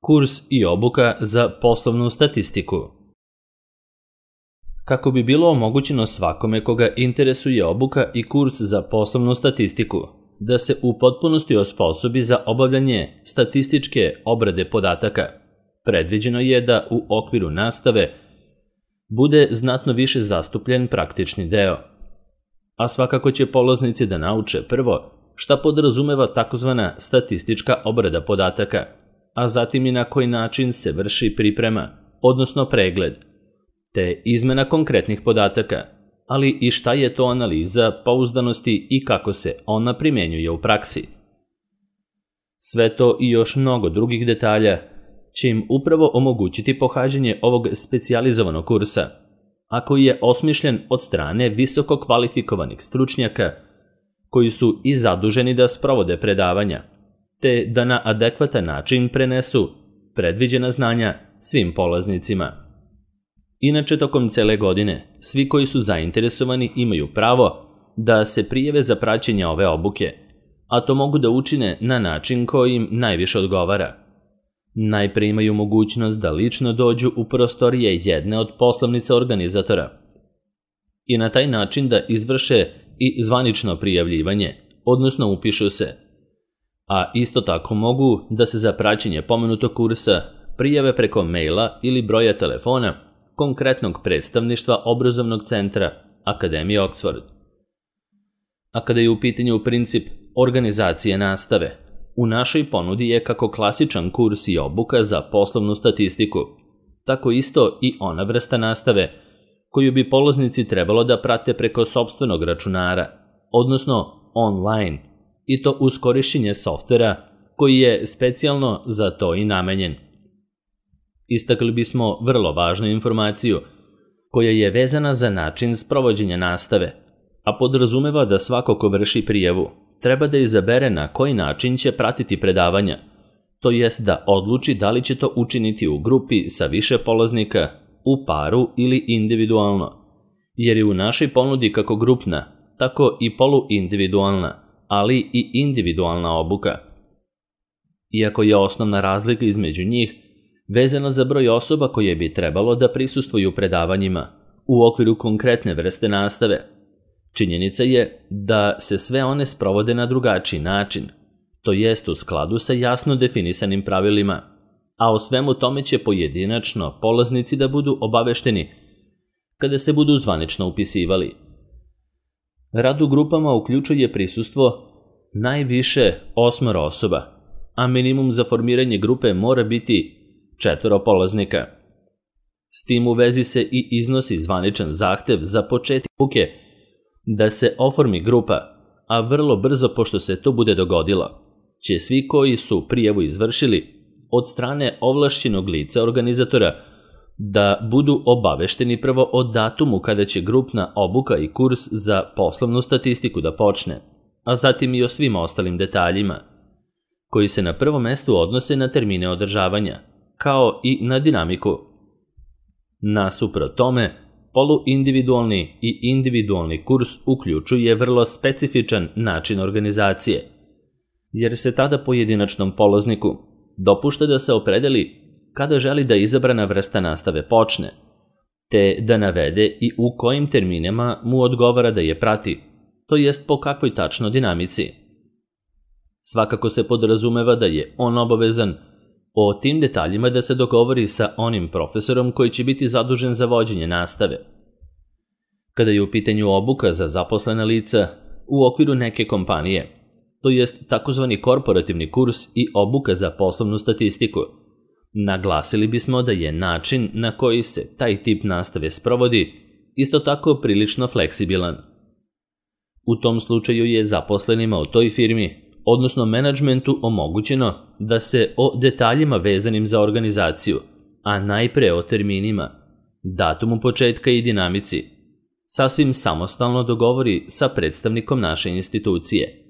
Kurs i obuka za poslovnu statistiku. Kako bi bilo omogućeno svakome koga interesuje obuka i kurs za poslovnu statistiku, da se u potpunosti osposobi za obavljanje statističke obrade podataka, predviđeno je da u okviru nastave bude znatno više zastupljen praktični deo. A svakako će polaznici da nauče prvo šta podrazumeva takozvana statistička obrada podataka, a zatim i na koji način se vrši priprema, odnosno pregled, te izmena konkretnih podataka, ali i šta je to analiza pouzdanosti i kako se ona primenjuje u praksi. Sve to i još mnogo drugih detalja će im upravo omogućiti pohađanje ovog specijalizovanog kursa, a koji je osmišljen od strane visoko kvalifikovanih stručnjaka koji su i zaduženi da sprovode predavanja, te da na adekvatan način prenesu predviđena znanja svim polaznicima. Inače, tokom cele godine, svi koji su zainteresovani imaju pravo da se prijave za praćenje ove obuke, a to mogu da učine na način koji im najviše odgovara. Najpre imaju mogućnost da lično dođu u prostorije jedne od poslovnica organizatora i na taj način da izvrše i zvanično prijavljivanje, odnosno upišu se. A isto tako mogu da se za praćenje pomenutog kursa prijave preko maila ili broja telefona konkretnog predstavništva obrazovnog centra Akademije Oxford. A kada je u pitanju princip organizacije nastave, u našoj ponudi je kako klasičan kurs i obuka za poslovnu statistiku, tako isto i ona vrsta nastave koju bi polaznici trebalo da prate preko sopstvenog računara, odnosno online, i to uz korišćenje softvera koji je specijalno za to i namenjen. Istakli bismo vrlo važnu informaciju koja je vezana za način sprovođenja nastave, a podrazumeva da svako ko vrši prijavu treba da izabere na koji način će pratiti predavanja, to jest da odluči da li će to učiniti u grupi sa više polaznika, u paru ili individualno, jer je u našoj ponudi kako grupna, tako i poluindividualna, ali i individualna obuka. Iako je osnovna razlika između njih vezana za broj osoba koje bi trebalo da prisustvuju predavanjima u okviru konkretne vrste nastave, činjenica je da se sve one sprovode na drugačiji način, to jest u skladu sa jasno definisanim pravilima, a o svemu tome će pojedinačno polaznici da budu obavešteni kada se budu zvanično upisivali. Rad u grupama uključuje prisustvo najviše 8 osoba, a minimum za formiranje grupe mora biti 4 polaznika. S tim u vezi se i iznosi zvaničan zahtev za početak obuke da se oformi grupa, a vrlo brzo pošto se to bude dogodilo, će svi koji su prijavu izvršili od strane ovlašćenog lica organizatora da budu obavešteni prvo o datumu kada će grupna obuka i kurs za poslovnu statistiku da počne, a zatim i o svim ostalim detaljima, koji se na prvom mestu odnose na termine održavanja, kao i na dinamiku. Nasuprot tome, poluindividualni i individualni kurs uključuje vrlo specifičan način organizacije, jer se tada pojedinačnom polazniku dopušta da se opredeli kada želi da izabrana vrsta nastave počne, te da navede i u kojim terminima mu odgovara da je prati, to jest po kakvoj tačno dinamici. Svakako se podrazumeva da je on obavezan o tim detaljima da se dogovori sa onim profesorom koji će biti zadužen za vođenje nastave. Kada je u pitanju obuka za zaposlena lica u okviru neke kompanije, to jest takozvani korporativni kurs i obuka za poslovnu statistiku, naglasili bismo da je način na koji se taj tip nastave sprovodi isto tako prilično fleksibilan. U tom slučaju je zaposlenima u toj firmi, odnosno menadžmentu, omogućeno da se o detaljima vezanim za organizaciju, a najpre o terminima, datumu početka i dinamici, sasvim samostalno dogovori sa predstavnikom naše institucije.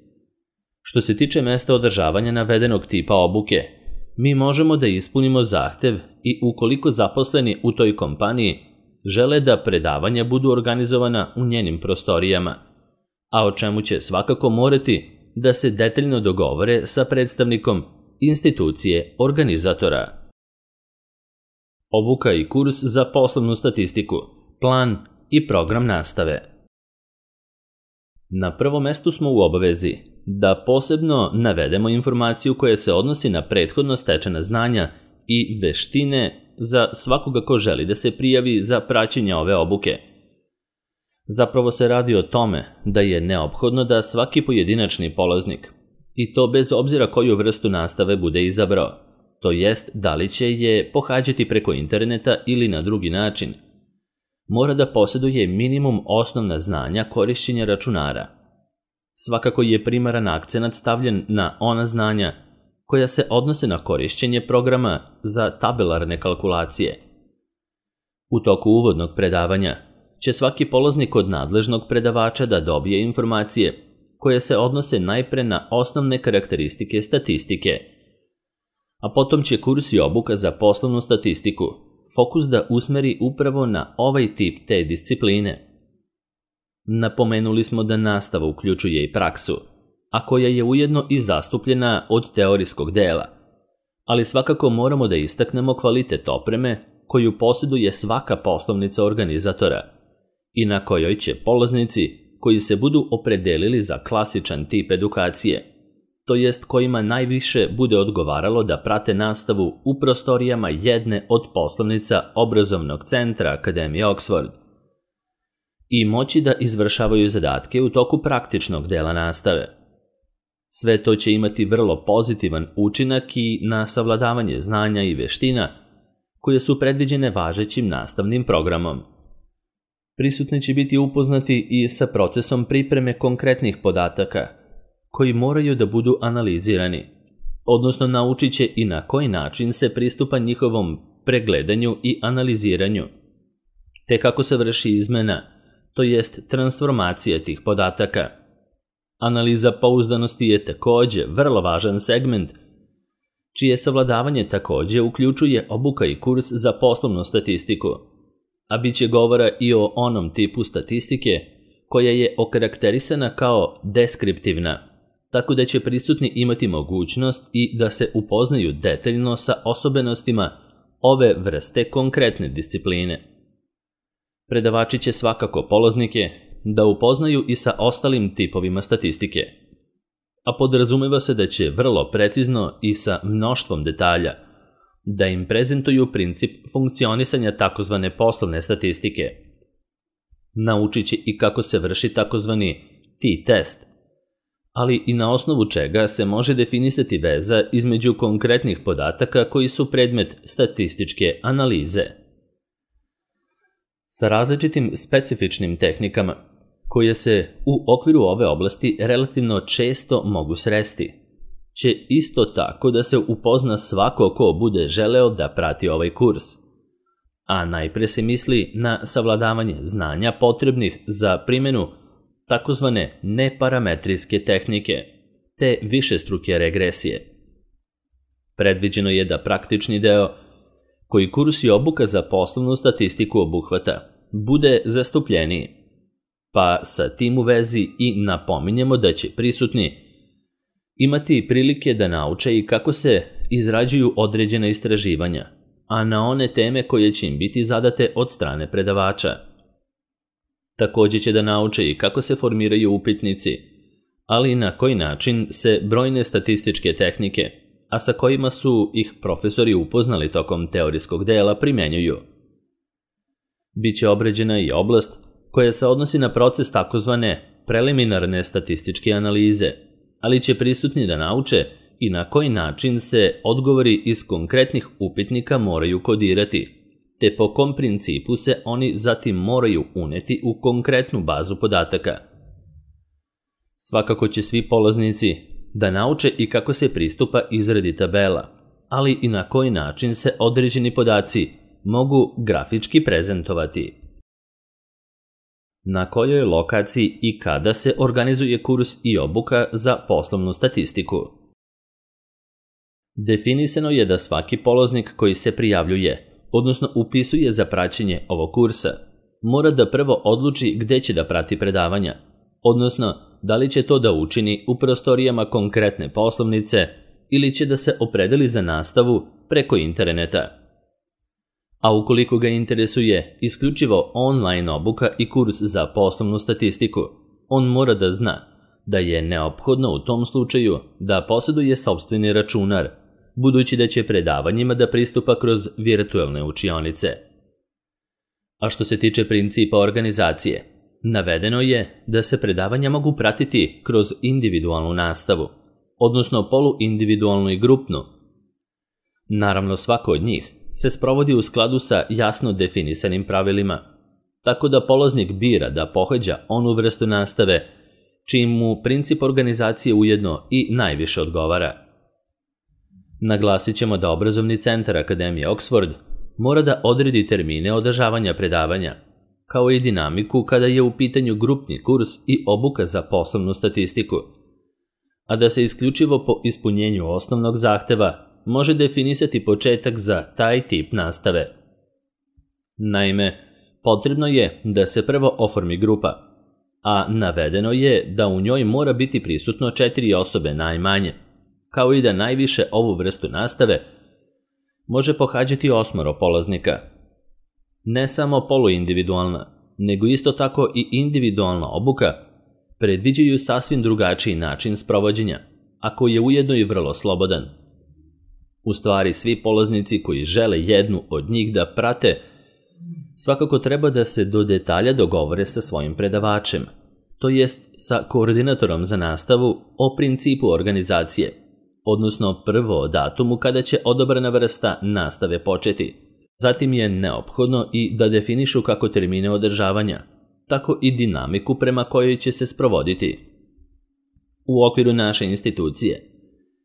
Što se tiče mesta održavanja navedenog tipa obuke, mi možemo da ispunimo zahtev i ukoliko zaposleni u toj kompaniji žele da predavanja budu organizovana u njenim prostorijama, a o čemu će svakako morati da se detaljno dogovore sa predstavnikom institucije organizatora. obuka i kurs za poslovnu statistiku, plan i program nastave. Na prvom mestu smo u obavezi da posebno navedemo informaciju koja se odnosi na prethodno stečena znanja i veštine za svakoga ko želi da se prijavi za praćenje ove obuke. Zapravo se radi o tome da je neophodno da svaki pojedinačni polaznik, i to bez obzira koju vrstu nastave bude izabrao, to jest da li će je pohađati preko interneta ili na drugi način, mora da posjeduje minimum osnovna znanja korišćenja računara. Svakako je primaran akcenat stavljen na ona znanja koja se odnose na korišćenje programa za tabelarne kalkulacije. U toku uvodnog predavanja će svaki polaznik od nadležnog predavača da dobije informacije koje se odnose najpre na osnovne karakteristike statistike, a potom će kurs i obuka za poslovnu statistiku fokus da usmeri upravo na ovaj tip te discipline. Napomenuli smo da nastava uključuje i praksu, a koja je ujedno i zastupljena od teorijskog dela, ali svakako moramo da istaknemo kvalitet opreme koju posjeduje svaka poslovnica organizatora i na kojoj će polaznici koji se budu opredelili za klasičan tip edukacije, to jest kojima najviše bude odgovaralo da prate nastavu u prostorijama jedne od poslovnica obrazovnog centra Akademije Oxford i moći da izvršavaju zadatke u toku praktičnog dela nastave. Sve to će imati vrlo pozitivan učinak i na savladavanje znanja i veština koje su predviđene važećim nastavnim programom. Prisutni će biti upoznati i sa procesom pripreme konkretnih podataka koji moraju da budu analizirani, odnosno naučit će i na koji način se pristupa njihovom pregledanju i analiziranju, te kako se vrši izmena, to jest transformacija tih podataka. Analiza pouzdanosti je takođe vrlo važan segment, čije savladavanje takođe uključuje obuka i kurs za poslovnu statistiku, a bit će govora i o onom tipu statistike koja je okarakterisana kao deskriptivna, tako da će prisutni imati mogućnost i da se upoznaju detaljno sa osobenostima ove vrste konkretne discipline. Predavači će svakako polaznike da upoznaju i sa ostalim tipovima statistike, a podrazumeva se da će vrlo precizno i sa mnoštvom detalja da im prezentuju princip funkcionisanja takozvane poslovne statistike. Naučit će i kako se vrši takozvani t-test, ali i na osnovu čega se može definisati veza između konkretnih podataka koji su predmet statističke analize. Sa različitim specifičnim tehnikama, koje se u okviru ove oblasti relativno često mogu sresti, će isto tako da se upozna svako ko bude želeo da prati ovaj kurs, a najpre se misli na savladavanje znanja potrebnih za primjenu takozvane neparametrijske tehnike, te višestruke regresije. Predviđeno je da praktični deo, koji kurs i obuka za poslovnu statistiku obuhvata, bude zastupljeniji, pa sa tim u vezi i napominjemo da će prisutni imati prilike da nauče i kako se izrađuju određena istraživanja, a na one teme koje će im biti zadate od strane predavača. Takođe će da nauče i kako se formiraju upitnici, ali i na koji način se brojne statističke tehnike, a sa kojima su ih profesori upoznali tokom teorijskog dela, primenjuju. Biće obrađena i oblast koja se odnosi na proces takozvane preliminarne statističke analize, ali će prisutni da nauče i na koji način se odgovori iz konkretnih upitnika moraju kodirati, te po kom principu se oni zatim moraju uneti u konkretnu bazu podataka. Svakako će svi polaznici da nauče i kako se pristupa izradi tabela, ali i na koji način se određeni podaci mogu grafički prezentovati. Na kojoj lokaciji i kada se organizuje kurs i obuka za poslovnu statistiku? Definisano je da svaki polaznik koji se prijavljuje, odnosno upisuje za praćenje ovog kursa, mora da prvo odluči gde će da prati predavanja, odnosno da li će to da učini u prostorijama konkretne poslovnice ili će da se opredeli za nastavu preko interneta. a ukoliko ga interesuje isključivo online obuka i kurs za poslovnu statistiku, on mora da zna da je neophodno u tom slučaju da posjeduje sopstveni računar, budući da će predavanjima da pristupa kroz virtualne učionice. A što se tiče principa organizacije, navedeno je da se predavanja mogu pratiti kroz individualnu nastavu, odnosno poluindividualnu i grupnu. Naravno, svako od njih se sprovodi u skladu sa jasno definisanim pravilima, tako da polaznik bira da pohađa onu vrstu nastave čim mu princip organizacije ujedno i najviše odgovara. Naglasit ćemo da obrazovni centar Akademije Oxford mora da odredi termine održavanja predavanja, kao i dinamiku kada je u pitanju grupni kurs i obuka za poslovnu statistiku, a da se isključivo po ispunjenju osnovnog zahteva može definisati početak za taj tip nastave. Naime, potrebno je da se prvo oformi grupa, a navedeno je da u njoj mora biti prisutno 4 osobe najmanje, kao i da najviše ovu vrstu nastave može pohađati 8 polaznika. Ne samo poluindividualna, nego isto tako i individualna obuka predviđaju sasvim drugačiji način sprovođenja, a koji je ujedno i vrlo slobodan. U stvari, svi polaznici koji žele jednu od njih da prate, svakako treba da se do detalja dogovore sa svojim predavačem, to jest sa koordinatorom za nastavu o principu organizacije, odnosno prvo o datumu kada će odabrana vrsta nastave početi. Zatim je neophodno i da definišu kako termine održavanja, tako i dinamiku prema kojoj će se sprovoditi. U okviru naše institucije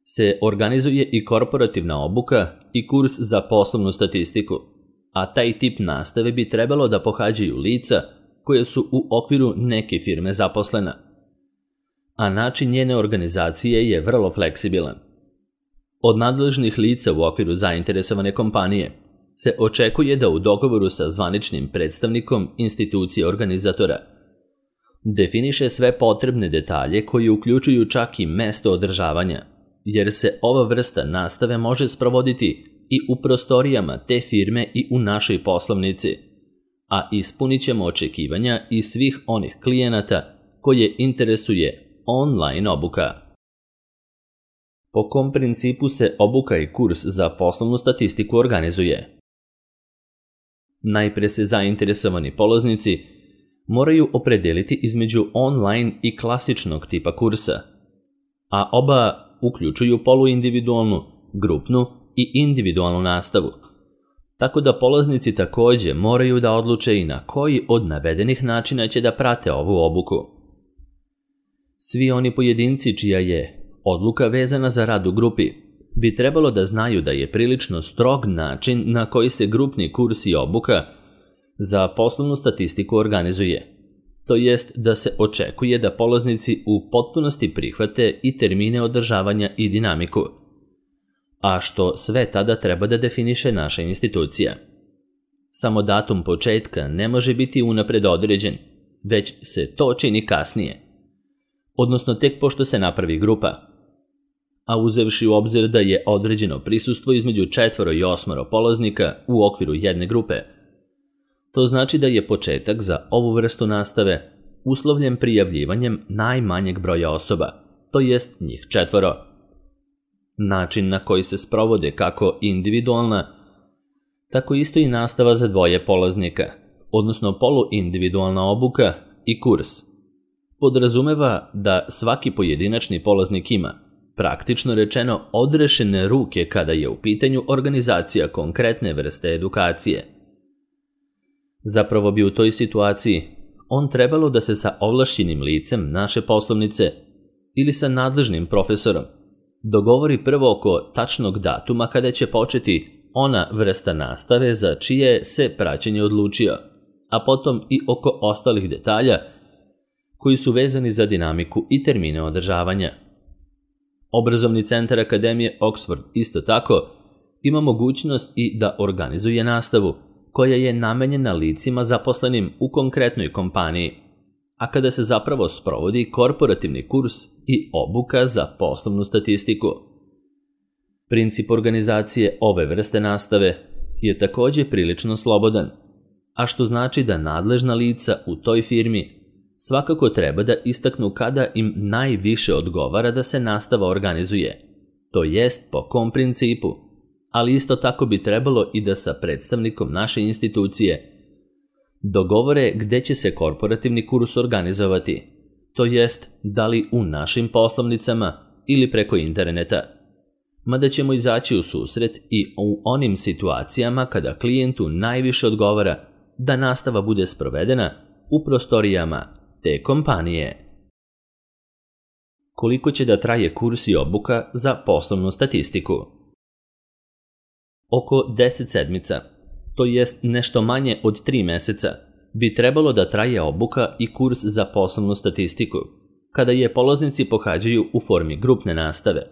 se organizuje i korporativna obuka i kurs za poslovnu statistiku, a taj tip nastave bi trebalo da pohađaju lica koje su u okviru neke firme zaposlena, a način njene organizacije je vrlo fleksibilan. Od nadležnih lica u okviru zainteresovane kompanije se očekuje da u dogovoru sa zvaničnim predstavnikom institucije organizatora definiše sve potrebne detalje koji uključuju čak i mesto održavanja, jer se ova vrsta nastave može sprovoditi i u prostorijama te firme i u našoj poslovnici, a ispunit ćemo očekivanja i svih onih klijenata koje interesuje online obuka. Po kom principu se obuka i kurs za poslovnu statistiku organizuje? Najpre se zainteresovani polaznici moraju opredeliti između online i klasičnog tipa kursa, a oba uključuju poluindividualnu, grupnu i individualnu nastavu, tako da polaznici također moraju da odluče i na koji od navedenih načina će da prate ovu obuku. Svi oni pojedinci čija je odluka vezana za rad u grupi bi trebalo da znaju da je prilično strog način na koji se grupni kurs i obuka za poslovnu statistiku organizuje, to jest da se očekuje da polaznici u potpunosti prihvate i termine održavanja i dinamiku, a što sve tada treba da definiše naša institucija. Samo datum početka ne može biti unapred određen, već se to čini kasnije, odnosno tek pošto se napravi grupa, a uzevši u obzir da je određeno prisustvo između 4 i 8 polaznika u okviru jedne grupe. To znači da je početak za ovu vrstu nastave uslovljen prijavljivanjem najmanjeg broja osoba, to jest njih 4. Način na koji se sprovode kako individualna, tako isto i nastava za 2 polaznika, odnosno poluindividualna obuka i kurs, podrazumeva da svaki pojedinačni polaznik ima, praktično rečeno, odrešene ruke kada je u pitanju organizacija konkretne vrste edukacije. Zapravo bi u toj situaciji on trebalo da se sa ovlašćenim licem naše poslovnice ili sa nadležnim profesorom dogovori prvo oko tačnog datuma kada će početi ona vrsta nastave za čije se praćenje odlučio, a potom i oko ostalih detalja koji su vezani za dinamiku i termine održavanja. Obrazovni centar Akademije Oxford isto tako ima mogućnost i da organizuje nastavu koja je namenjena licima zaposlenim u konkretnoj kompaniji, a kada se zapravo sprovodi korporativni kurs i obuka za poslovnu statistiku. Princip organizacije ove vrste nastave je također prilično slobodan, a što znači da nadležna lica u toj firmi svakako treba da istaknu kada im najviše odgovara da se nastava organizuje, to jest po kom principu, ali isto tako bi trebalo i da sa predstavnikom naše institucije dogovore gde će se korporativni kurs organizovati, to jest da li u našim poslovnicama ili preko interneta. Mada ćemo izaći u susret i u onim situacijama kada klijentu najviše odgovara da nastava bude sprovedena u prostorijama te kompanije. Koliko će da traje kurs i obuka za poslovnu statistiku? Oko 10 sedmica, to jest nešto manje od 3 meseca, bi trebalo da traje obuka i kurs za poslovnu statistiku, kada je polaznici pohađaju u formi grupne nastave.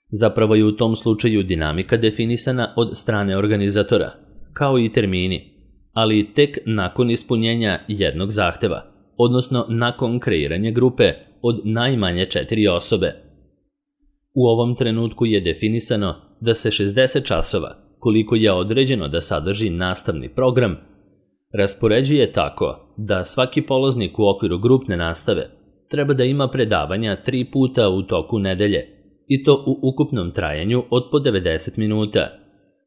Zapravo je u tom slučaju dinamika definisana od strane organizatora, kao i termini, ali tek nakon ispunjenja jednog zahteva, odnosno nakon kreiranja grupe od najmanje 4 osobe. U ovom trenutku je definisano da se 60 časova, koliko je određeno da sadrži nastavni program, raspoređuje tako da svaki polaznik u okviru grupne nastave treba da ima predavanja 3 puta u toku nedelje, i to u ukupnom trajanju od po 90 minuta,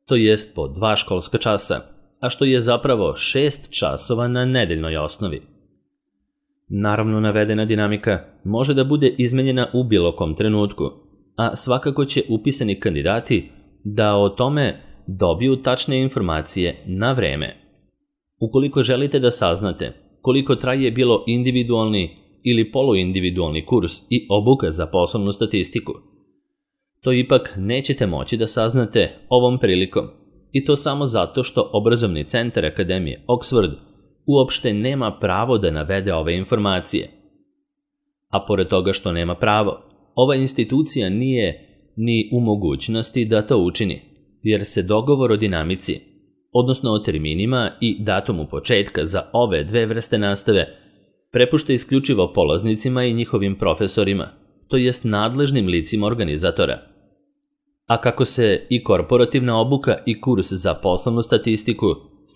to jest po 2 školska časa, a što je zapravo 6 časova na nedeljnoj osnovi. Naravno, navedena dinamika može da bude izmenjena u bilo kom trenutku, a svakako će upisani kandidati da o tome dobiju tačne informacije na vreme. Ukoliko želite da saznate koliko traje bilo individualni ili poluindividualni kurs i obuka za poslovnu statistiku, to ipak nećete moći da saznate ovom prilikom, i to samo zato što obrazovni centar Akademije Oxford uopšte nema pravo da navede ove informacije. A pored toga što nema pravo, ova institucija nije ni u mogućnosti da to učini, jer se dogovor o dinamici, odnosno o terminima i datumu početka za ove dve vrste nastave, prepušta isključivo polaznicima i njihovim profesorima, to jest nadležnim licima organizatora. A kako se i korporativna obuka i kurs za poslovnu statistiku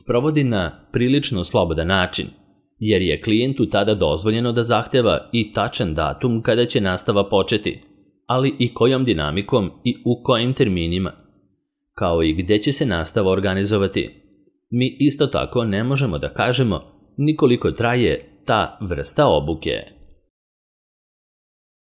sprovodi na prilično slobodan način, jer je klijentu tada dozvoljeno da zahteva i tačan datum kada će nastava početi, ali i kojom dinamikom i u kojim terminima, kao i gde će se nastava organizovati. Mi isto tako ne možemo da kažemo ni koliko traje ta vrsta obuke.